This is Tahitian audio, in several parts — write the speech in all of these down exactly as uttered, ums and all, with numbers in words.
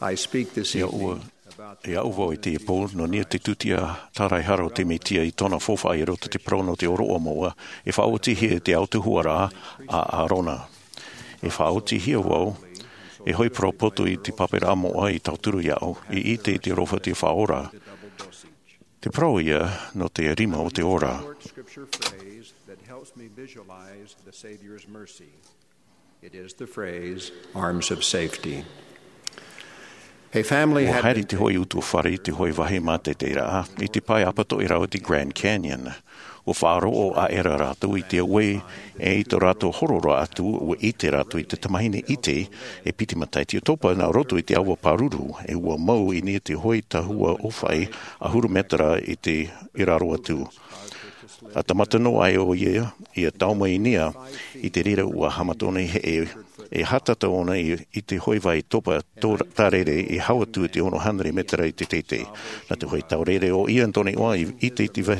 I speak this evening about the... Ia ʻua, ia ʻua vau i te pō, nō niʻa te tūtia tāraehara o te Mesia i tōna faufaʻa i roto i te parau nō te ʻōroʻa moʻa, e faʻaotihia te autahuʻaraʻa a Arona. E faʻaotihia vau, e hoʻi parau poto i te pāpaʻiraʻa moʻa i tauturu iāʻu, i ʻite i te aroha te Faʻaora. Te parau ia nō te rima o te ora. Short scripture phrase that helps me visualize the Savior's mercy. It is the phrase, "Arms of safety." A family... ʻUa had haere been te hōʻē utuafare i te hōʻē vāhi mātaʻitaʻiraʻa, i te pae ʻapatoʻi rahi o te Grand Canyon. ʻUa faʻaroʻo aʻera rātou i te auē, e i tō rātou horora atu, ʻua ʻite rātou i te tamahine ʻite, e piti matahiti ʻo topa nā roto i te ʻāua pāruru, e ʻua mau i niʻa i te hōʻē tahua ʻōfaʻi ʻahuru mētera i te, i raro atu. ʻA tāmata noa ai ʻoia, ʻia tae mai i niʻa, i te reira ʻua haʻamata ʻōna i heʻe, e hātata ʻōna i, i te hōʻē vāhi topa tō-, tārere e hau atu i te ono hānere mētera i te teitei. Nā te hōʻē taureʻareʻa ʻo ia tōna iʻoa i, i te, te vai-,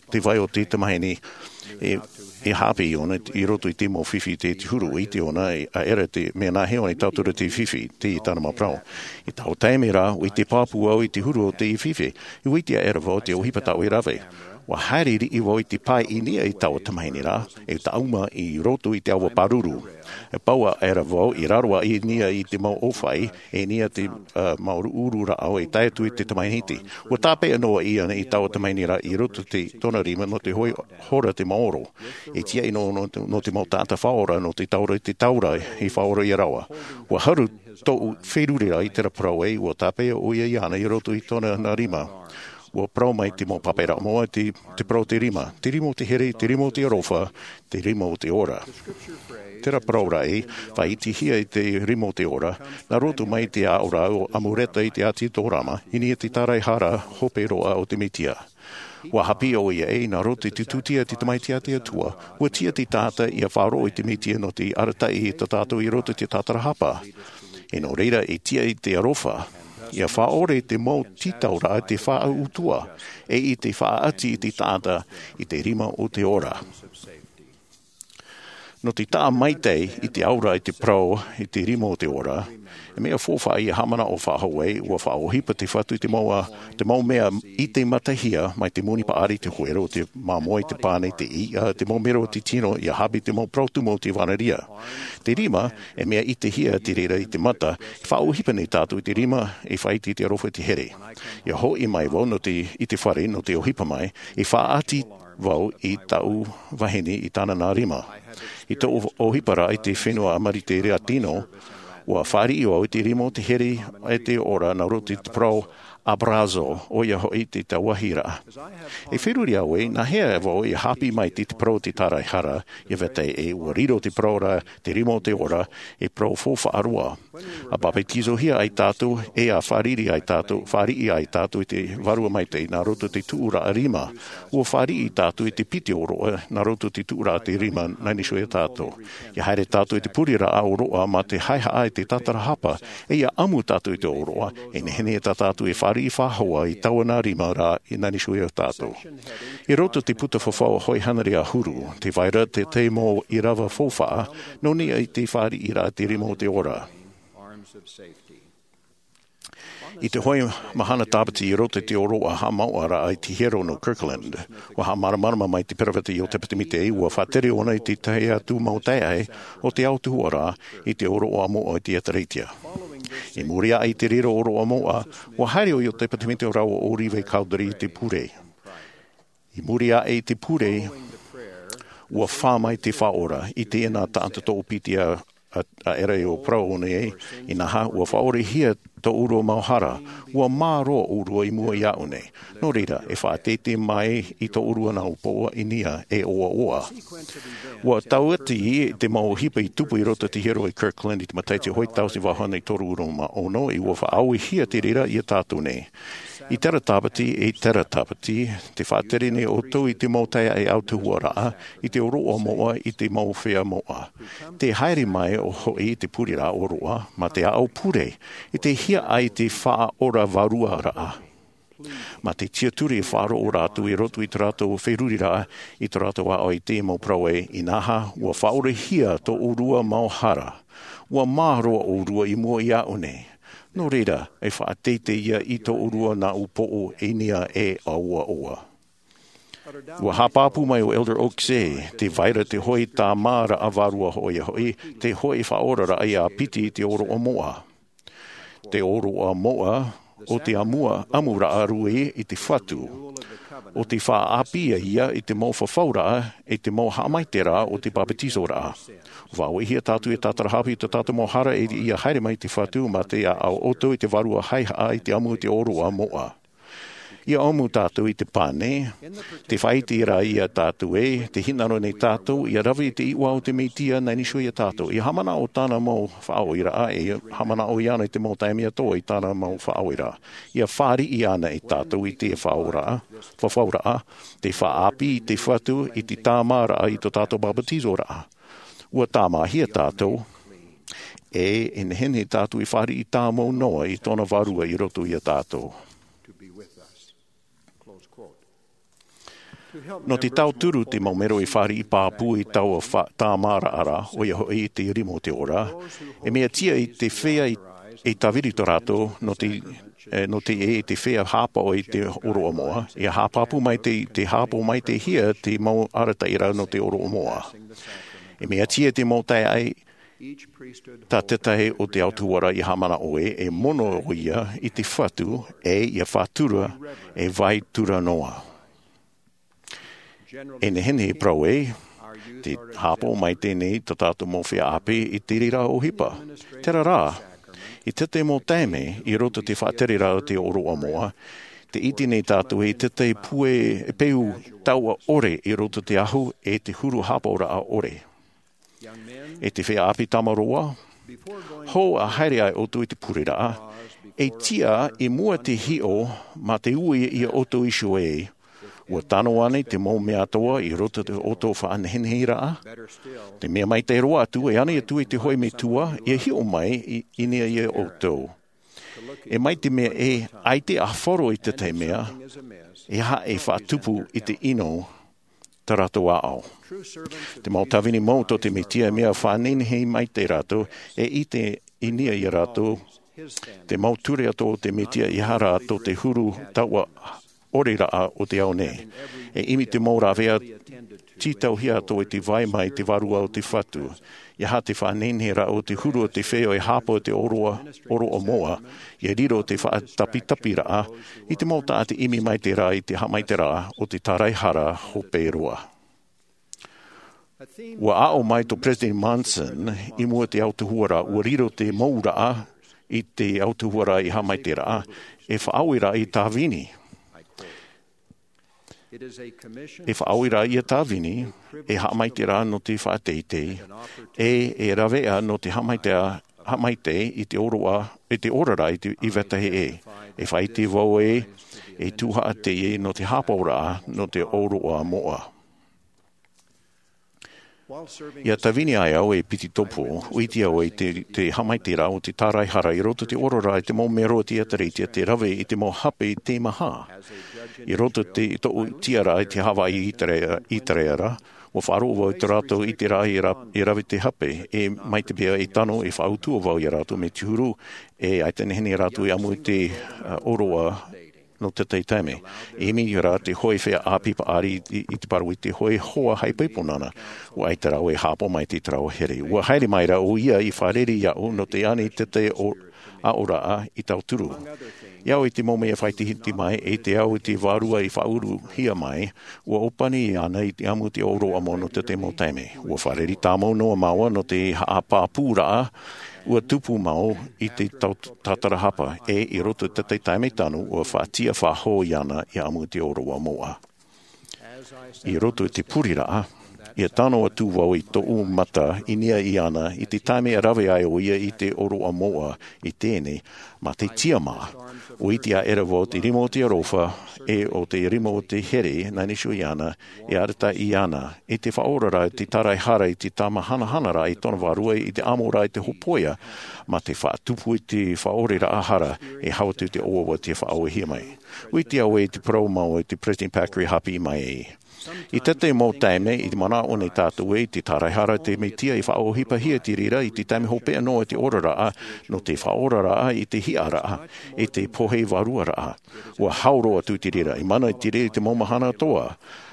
te vai o te tamahine, e, e haʻapiʻi ʻōna i roto i te mau fifi i te, te huru, ʻua ʻite ʻōna, e, aʻera te mea nāhea ʻōna i tauturu te fifi, teie tāna mau parau. I taua taime rā, ʻua ʻite pāpū au i te huru o te fifi, ʻua ʻite aʻera vau te ʻohipa tāʻu e rave. ʻUa haere riʻi vau i te pae i niʻa i taua tamahine ra, e tāʻuma i roto i te ʻāua pāruru. E pau aʻera vau i raro aʻe i niʻa i te mau ʻōfaʻi, e niʻa i te, ā, mau ʻuruʻuru rāʻau e tae atu i te tamahine ʻite. ʻUa tāpeʻa noa ʻia i taua tamahine ra i roto i te, tōna rima nō te hōʻē hora te maoro. E tiaʻi noa nō, nō te mau taʻata faʻaora, nō te taura i te taura i faʻaora ia rāua. ʻUa haru tōʻu feruriraʻa i terā parau ē, ʻua tāpeʻa ʻoia iāna i roto i tōna nā rima. ʻUa parau mai te mau pāpaʻiraʻa moʻa te, te parau o te rima, te rima o te here, te rima o te aroha, te rima o te ora. Terā parau ra ē, faʻaʻitehia i te rima o te ora, nā roto mai i te aʻo ra ʻo Amuleka i te ʻāti Tōrama, i niʻa i te tāraehara hope roa o te Mesia. ʻUa haʻapiʻi ʻoia ē, nā roto i te tūtia i te Tamaiti a te Atua, ʻua tiʻa te taʻata ʻia faʻaroʻo i te Mesia nō te arataʻi i tā tātou i roto i te tātarahapa. E nō reira, e tiʻa i te aroha, ʻia faʻaʻore i te mau tītauraʻa te faʻautuʻa, e i te faʻaʻati i te taʻata i te rima o te ora. Nō te taʻa maitaʻi i te auraʻa i te parau i te rima o te ora, e mea faufaʻa ʻia haʻamanaʻo faʻahou ai, ʻua faʻaʻohipa te Fatu i te mau, te mau mea ʻite matahia mai te moni paʻari, te huero, te māmoe, te pane, te iʻa, te mau mero o te tino, ʻia haʻapiʻi te mau parau tumu o te ʻevanelia. Te rima, e mea ʻitehia te reira i te mata, e faʻaʻohipa nei tātou i te rima, e faʻaʻite i te aroha i te here. ʻIa hoʻi mai vau nō te, i te fare, nō te ʻohipa mai, e faʻaʻati vau i tāʻu vahine i tāna nā rima. I tōʻu ʻohipa ra i te fenua Amerika Latino, ʻua fāriʻi vau i te rima o te here e te ora nā roto i te parau abrazo, ʻoia hoʻi te tauahiraʻa. E feruri au ē, nāhea vau ʻia haʻapiʻi mai te, te parau o te tāraehara, ʻia vetahi ē, ʻua riro te parau ra, te rima o te ora, e parau faufaʻa roa. ʻA papetizohia ai tātou, e ʻa fāriʻi ai tātou, fāriʻi ai tātou i te Vārua Maitaʻi, nā roto i te tuʻuraʻa rima. ʻUa fāriʻi tātou i te piti ʻōroʻa, nā roto i te tuʻuraʻa te rima, nā niʻa iho ia tātou. ʻIa haere tātou i te pureraʻa ʻōroʻa mā te haʻehaʻa i te tātarahapa, e ʻia ʻamu tātou i te ʻōroʻa, e nehenehe tā tātou e fāriʻi faʻahou i taua nā rima ra, i nā niʻa iho ia tātou. I roto i te puta fafau hōʻē hānere ʻahuru, tē vai ra te, te mau ʻīrava faufaʻa, nō niʻa i te fāriʻiraʻa te rima o te ora. I te hōʻē mahana Tāpati i roto i te ʻōroʻa haʻamāuʻaraʻa i te hiero nō Kirtland, ʻua haʻamāramarama mai te peroveta Iotepa Tēmite, ʻua faʻatere ʻōna i te tahi atu mau taeaʻe o te autahuʻaraʻa i te ʻōroʻa moʻa i te ʻĒtārētia. I muri aʻe i te reira ʻōroʻa moʻa, ʻua haere ʻo Iotepa Tēmite rāua ʻo Oliver Cowdery i te pure. I muri aʻe i te pure, ʻua fā mai te Faʻaora, i teie nā taʻata toʻopiti a, a, aʻera ʻo parau nei, inaha, ʻua faʻaʻorehia tō ʻōrua mau hara, ʻua mā roa ʻōrua i mua iāʻu nei. Nō reira, e faʻateitei mai i tō ʻōrua nā ʻōpua i niʻa e ʻoaʻoa. ʻUa tauati i te mau ʻohipa i tupu i roto i te hiero i Kirtland i te matahiti hōʻē tauatini valu e toru ʻahuru mā ono, ʻua faʻaauehia te reira ia tātou nei. I terā Tāpati, i terā Tāpati, tē faʻatere nei ʻoutou i te mau taeaʻe autahuʻaraʻa, i te ʻōroʻa moʻa, i te mau feiā moʻa. Tē haere mai ʻo hoʻi i te pureraʻa ʻōroʻa, mā te aʻo pure, i te hiaʻai i te Faʻaora vāruaraʻa. Mā te tiʻaturi e faʻaroʻo rātou i roto i tō rātou feruriraʻa, i tō rātou aʻo i te mau parau ē, inaha, ʻua faʻaʻorehia tō ʻōrua mau hara. ʻUa mā roa ʻōrua i mua iāʻu nei. Nō reira, e faʻateitei ia i tō ʻōrua nā ʻūpoʻo i niʻa e ʻaua ʻoa. Ua haʻapāpū mai ʻo Elder Oaks ē, tē vai ra te hoʻi tāmāraʻa vārua hoʻi, ia hoʻi te hoʻi faʻaoraraʻa ia piti i te ʻōroʻa moʻa. Te ʻōroʻa moʻa ʻo te ʻamuraʻa rui i te Fatu, ʻo te faʻaʻāpī ia i te mau fafauraʻa, i te mau haʻamaitaʻiraʻa ʻo te papetizoraʻa. Vāoʻihia tātou e tātarahapa i tō tātou mau hara ia haere mai te Fatu mā te ʻāʻau ʻoutou i te vārua haʻehaʻa i te ʻamu i te ʻōroʻa moʻa. Ia ʻamu tātou i te pane, te faʻaʻite rā ia tātou ē, te hinaʻaro nei tātou ia rave i te iʻoa o te Mesia nā niʻa iho ia tātou, ia haʻamanaʻo tāna mau faʻaʻohiparaʻa, e haʻamanaʻo iāna i te mau taime atoʻa i tāna mau faʻaʻohiparaʻa. Ia fāriʻi ana e tātou i te fafauraʻa, fafauraʻa, te faʻaʻāpī i te Fatu i te tāmāraʻa i tō tātou papetizoraʻa. Ua tāmāhia tātou, e, e nehenehe tātou e fāriʻi tāmau noa i tōna vārua i roto ia tātou. Nō te tauturu te mau mero e fāriʻi pāpū i taua fa-, tāmāraʻa ra, ʻoia hoʻi te rima o te ora, e mea tiʻa i te feiā i, i tāviri tō rātou, nō te, e, nō te, e, te feiā haʻapaʻo i te ʻōroʻa moʻa, ia haʻapāpū mai te, te haʻapaʻo mai te hia te mau arataʻiraʻa nō te ʻōroʻa moʻa. E mea tiʻa te mau taeaʻe, tā te tahi o te autahuʻaraʻa ia haʻamanaʻo ē, e mono ʻoia i te Fatu, e ia faʻatura, e vai tura noa. E nehenehe e parau ē, te haʻapaʻo mai teie nei tā tātou mau feiā ʻāpī i te reira ʻohipa. Terā rā, i te tahi mau taime, i roto i te faʻatereraʻa o te ʻōroʻa moʻa, tē ʻite nei tātou ē i te tahi pūai peu taoʻa ʻore i roto i te ahu e te huru haʻapaʻoraʻa ʻore. E te feiā ʻāpī tāmau roa, hou ʻa haere ai ʻoutou i te pureraʻa, e tiʻa i mua te hiʻo mā te ui ia ʻoutou iho ē, ua tano ānei te mau mea atoʻa i roto i tō ʻoutou faʻaneheneheraʻa? Te mea maitaʻi roa atu, e ani atu i te hoʻi metua, ia hiʻo mai i, i niʻa ia ʻoutou. E mai te mea e ʻaita e ʻafaro i te tahi mea, e aha e faʻatupu i te ʻino tā rātou ʻāʻau. Te mau tāvini mau tō te Mesia, mea faʻanehenehe maitaʻi rātou, e ʻite i niʻa ia rātou, te mau ture atoʻa o te Mesia, e aha rā tō te huru taoʻa ʻoreraʻa o te ao nei. E ʻimi te mau rāveʻa tītauhia atoʻa i te vai mai te Vārua o te Fatu. E aha te faʻanehenehe ra o te huru o te feiā e haʻapaʻo i te ʻōroʻa, ʻōroʻa moʻa, ia riro te faʻatapitapiraʻa, i te mau taʻata ʻimi maitaʻi ra i te haʻamaitaʻiraʻa o te tāraehara hope roa. Ua aʻo mai tō Peresideni Monson i mua i te autahuʻaraʻa, ua riro te mau raʻa i te autahuʻaraʻa i haʻamaitaʻiraʻa, e faʻaue ra i tāvini. E faʻaue ra ia tāvini, e haʻamaitaʻiraʻa nō te faʻateitei, e, e rāveʻa nō te haʻamaitaʻi, haʻamaitaʻi i te ʻōroʻa, i te oraraʻa i te, i vetahi ʻē. E faʻaʻite vau ē, e tuhaʻa teie nō te haʻapaʻoraʻa, nō te ʻōroʻa moʻa. ʻIa tāvini ai au ei ʻepitopo, ʻua ʻite au i te, te haʻamaitaʻiraʻa o te tāraehara i roto i te oraraʻa i te mau mero o te ʻĒtārētia tei rave i te mau hape teimaha. I roto i te, tōʻu tiʻaraʻa i te Hawaiʻi ʻĪtera-, ʻĪterēra, ʻua faʻaroʻo vau i tō rātou ʻiteraʻa i ra-, i rave te hape, e mai te mea e tano e faʻautuʻa vau ia rātou mai te huru, e ʻaita e nehenehe rātou e ʻamu i te, ā, ʻōroʻa nō te tahi taime. E ʻimi ra te hōʻē feiā ʻāpī paʻari i, i te parau i te hōʻē hoa haʻaipoipo nāna. ʻUa ʻaita rāua e haʻapaʻo mai i te taraʻa here. ʻUa haere mai ra ʻoia i fārerei iāʻu nō te ani i te tahi ʻo-, aʻoraʻa i tauturu. I au i te mau mea faʻaʻitehia mai, e te au i te vārua i faʻauruhia mai, ʻua ʻōpani ana i te ʻamu i te ʻōroʻa moʻa nō te tahi mau taime. ʻUa fārerei tāmau noa māua nō te haʻapāpūraʻa, ʻua tupu mau i te tau-, tātarahapa, e i roto i te tahi taime tano, ʻua faʻatiʻa faʻahou iāna i ʻamu i te ʻōroʻa moʻa. I roto i te pureraʻa, ʻia tano atu vau i tōʻu mata i niʻa iāna i te taime e rave ai ʻoia i te ʻōroʻa moʻa i teie nei, mā te tiʻamā. ʻUa ʻite aʻera vau te rima o te aroha, e ʻo te rima o te here, nā niʻa iho iāna, e arataʻi ana, e te faʻaoraraʻa, te tāraehara, e te tāmāhanahanaraʻa i tōna vārua, i te ʻamoraʻa, i te hōpoiʻa, mā te faʻatupu i te faʻaʻoreraʻa hara, e hau atu i te ʻoaʻoa tei faʻaauhia mai. ʻUa ʻite au ē te parau mau a te Peresideni Packer i haʻapiʻi mai ai. I tētahi mau taime i te manaʻo nei tātou ē i te taraehara te mesia i faʻaʻohipahia te reira i te taime hopeʻa noa i te oraraʻa, nō te faʻaoraraʻa i te hiʻaraʻa e te pohe varuaraʻa. Ua hau roa atu te reira i mana i te reira i te mau mahana atoa.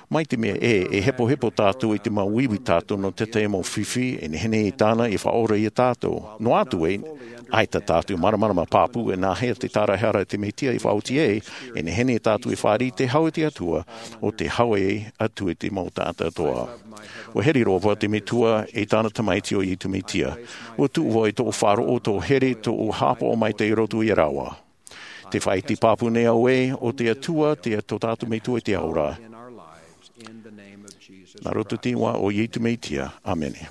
Mai te mea ē e hepohepo tātou i te mau ivi tātou nō tētahi mau fifi e nehenehe i tāna i faʻaora iā tātou, noa atu ē ʻaita tātou māramarama pāpū e nāhea te taraehara te mesia i faʻaoti ai, e nehenehe tātou i fāriʻi te hau i te atua o te hau e atu i te mau taʻata atoa. Ua here roa vau te metua i tāna tamaiti o iesu mesia. Ua tuʻu vau i tōʻu faʻaroʻo tōʻu here tōʻu haʻapaʻo maitaʻi i roto iā rāua. Te faʻaiti pāpū nei au ē o te atua te tō tātou metua i te ao ra. Nā roto i te iʻoa o iesu mesia, ʻāmene.